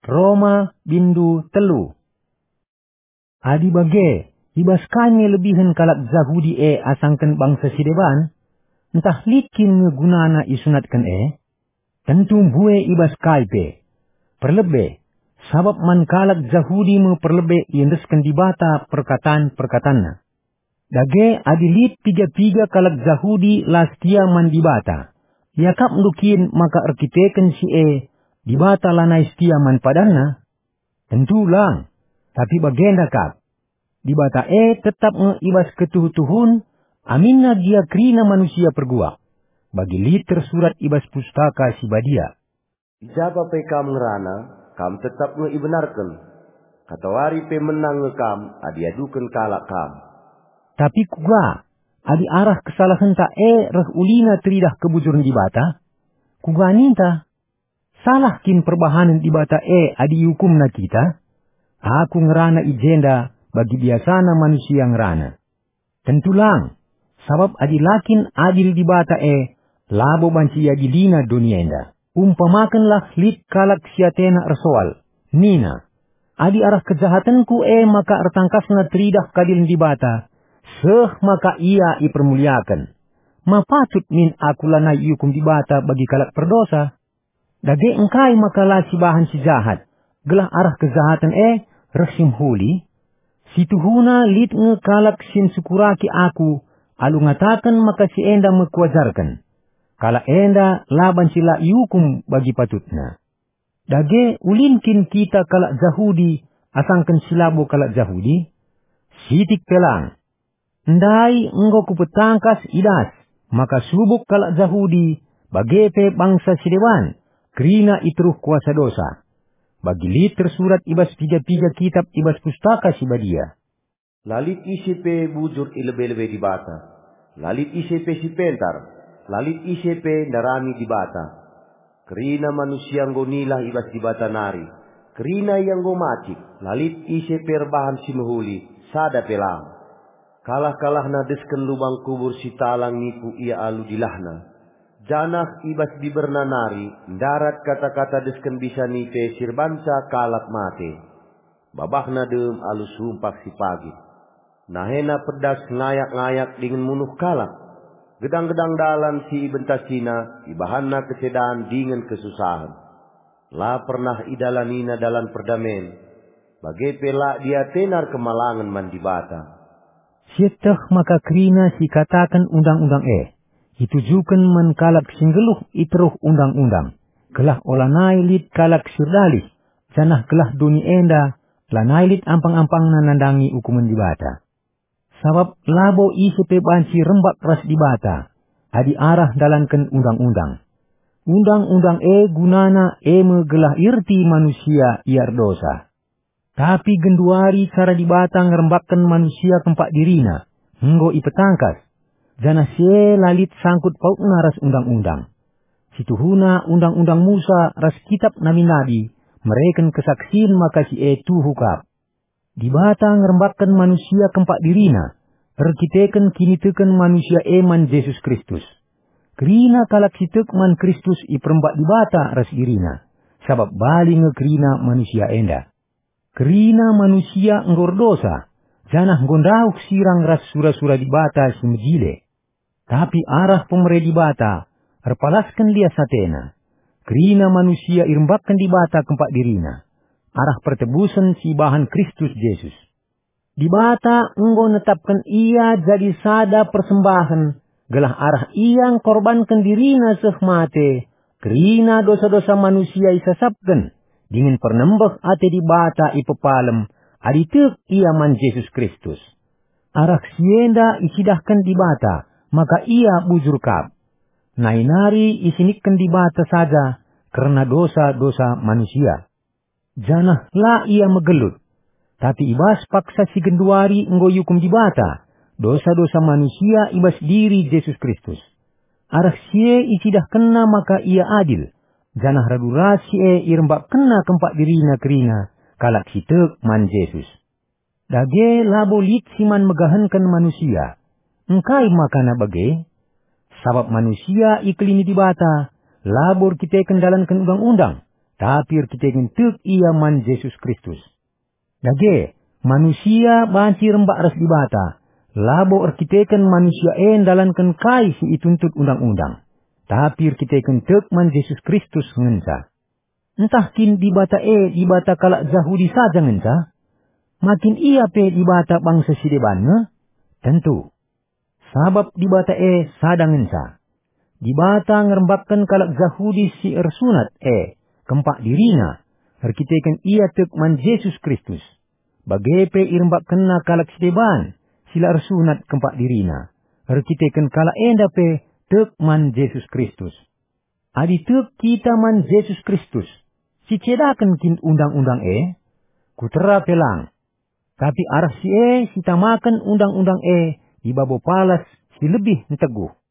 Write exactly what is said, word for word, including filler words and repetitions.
Roma bindu telu. Adi bage, i bas kai nge lebihen kalak Jahudi e asangken bangsa si deban? Ntah lit kin nge gunana isunatken e? Tentu mbue i bas kai pe. Perlebe, sabap man kalak Jahudi me perlebe iendesken Dibata perkatan-perkatanNa. Dage adi lit piga-piga kalak Jahudi la setia man Dibata, iakapndu kin maka erkiteken si e Dibata lanai setia man padanNa? Tentu lang, tapi bagenda kap. Dibata e tetap nge i bas ketuhu-tuhun, aminna gia kerina manusia perguak. Bagi lit tersurat i bas Pustaka Si Badia, "I ja pe kam ngerana, kam tetap nge ibenarken. Katawari pe menang nge kam adi iaduken kalak kam." Tapi kuga, adi arah kesalahenta e reh ulina teridah kebujuren Dibata? Kuga ninta? Salah kin perbahanen Dibata e adi iukumNa kita? Aku ngerana i jenda bagi biasana manusia ngerana. Tentu lang, sabap adi la kin adil Dibata e, labo banci iadiliNa doni enda. Umpamakenlah lit kalak si atena ersoal, nina, "Adi arah kejahatenku e maka ertangkasna teridah keadilen Dibata, seh maka ia ipermuliaken. Ma patut min aku lanai iukum Dibata bagi kalak perdosa?" Dage engkai maka la sibahan si jahat, gelah arah kejahaten e reh si mehuli? Situhuna lit nge kalak si nsukuraki aku alu ngataken maka si enda me kuajarken. Kalak enda la banci la iukum bagi patutna. Dage ulin kin kita kalak Jahudi asangken si labo kalak Jahudi? Sitik pe lang. Ndai enggo kupetangkas i das, maka subuk kalak Jahudi, bage pe bangsa si deban, kerina i teruh kuasa dosa. Bagi lit tersurat i bas piga-piga kitap i bas Pustaka Si Badia, "La lit ise pe bujur i lebe-lebe Dibata. La lit ise pe si pentar. La lit ise pe ndarami Dibata. Kerina manusia enggo nilah i bas Dibata nari. Kerina ia enggo macik. La lit ise pe erbahan si mehuli, sada pe lang. Kalah-kalahna desken lubang kubur si talang nipu ia alu dilahna. Janah i bas biberna nari ndarat kata-kata desken bisa nipe si erbanca kalak mate. Babahna dem alu sumpah si pagit. Nahena pedas ngayak-ngayak dingen munuh kalak. Gedang-gedang dalan si ibentasina ibahanna kesedan dingen kesusahen. La pernah idalanina dalan perdamen, bage pe la diatena erkemalangen man Dibata." Sieteh maka kerina si ikataken Undang-undang e, itujuken man kalak si nggeluh i teruh Undang-undang, gelah olanai lit kalak si erdalih, janah gelah doni enda lanai lit ampang-ampangna nandangi ukumen Dibata. Sabap labo ise pe banci rembak ras Dibata, adi arah ndalanken Undang-undang. Undang-undang e gunana e me gelah ierti manusia ia erdosa. Tapi genduari cara Dibata ngerembakken manusia kempak diriNa, enggo ipetangkas, janah si e la lit sangkut pautna ras Undang-undang. Situhuna Undang-undang Musa ras Kitap Nabi-nabi mereken kesaksin maka si e tuhu kap. Dibata ngerembakken manusia kempak diriNa, erkiteken kiniteken manusia e man Jesus Kristus. Kerina kalak si tek man Kristus iperembak Dibata ras diriNa, sabap bali nge kerina manusia enda. Kerina manusia enggo erdosa, janah enggo ndauh sirang ras sura-sura Dibata si mejile. Tapi arah pemere Dibata erpalasken lias ateNa. Kerina manusia irembakken Dibata kempak diriNa, arah pertebusen si ibahan Kristus Jesus. Dibata enggo netapken Ia jadi sada persembahen, gelah arah Ia engkorbanken diriNa seh mate, kerina dosa-dosa manusia isasapken, dingen pernembeh ate Dibata ipepalem adi tek ia man Jesus Kristus. Arah si enda icidahken Dibata maka Ia bujur kap. Nai nari isinikken Dibata saja kerna dosa-dosa manusia. Janah la Ia megelut. Tapi i bas paksa si genduari enggo iukum Dibata dosa-dosa manusia i bas diri Jesus Kristus. Arah si e icidahkenNa maka Ia adil, janah radu ras si e irembakkenNa kempak diriNa kerina kalak si tek man Jesus. Dage labo lit si man megahenken manusia. Engkai makana bage? Sabap manusia ikelini Dibata, labo erkiteken ndalanken undang-undang, tapi erkiteken tek ia man Jesus Kristus. Dage, manusia banci rembak ras Dibata, labo erkiteken manusia e ndalanken kai si ituntut Undang-undang, tapi erkiteken tek man Jesus Kristus ngenca. Ntah kin Dibata e Dibata kalak Jahudi saja ngenca? Ma kin ia pe Dibata bangsa si deban nge? Tentu. Sabap Dibata e sada ngenca. Dibata ngerembakken kalak Jahudi si ersunat e kempak diriNa, erkiteken ia tek man Jesus Kristus. Bage pe irembakkenNa kalak si deban, si la ersunat kempak diriNa, erkiteken kalak enda pe tek man Jesus Kristus. Adi tek kita man Jesus Kristus, sicedaken kin Undang-undang e? Kutera pe lang. Tapi arah si e sitamaken Undang-undang e i babo palas si lebih nteguh.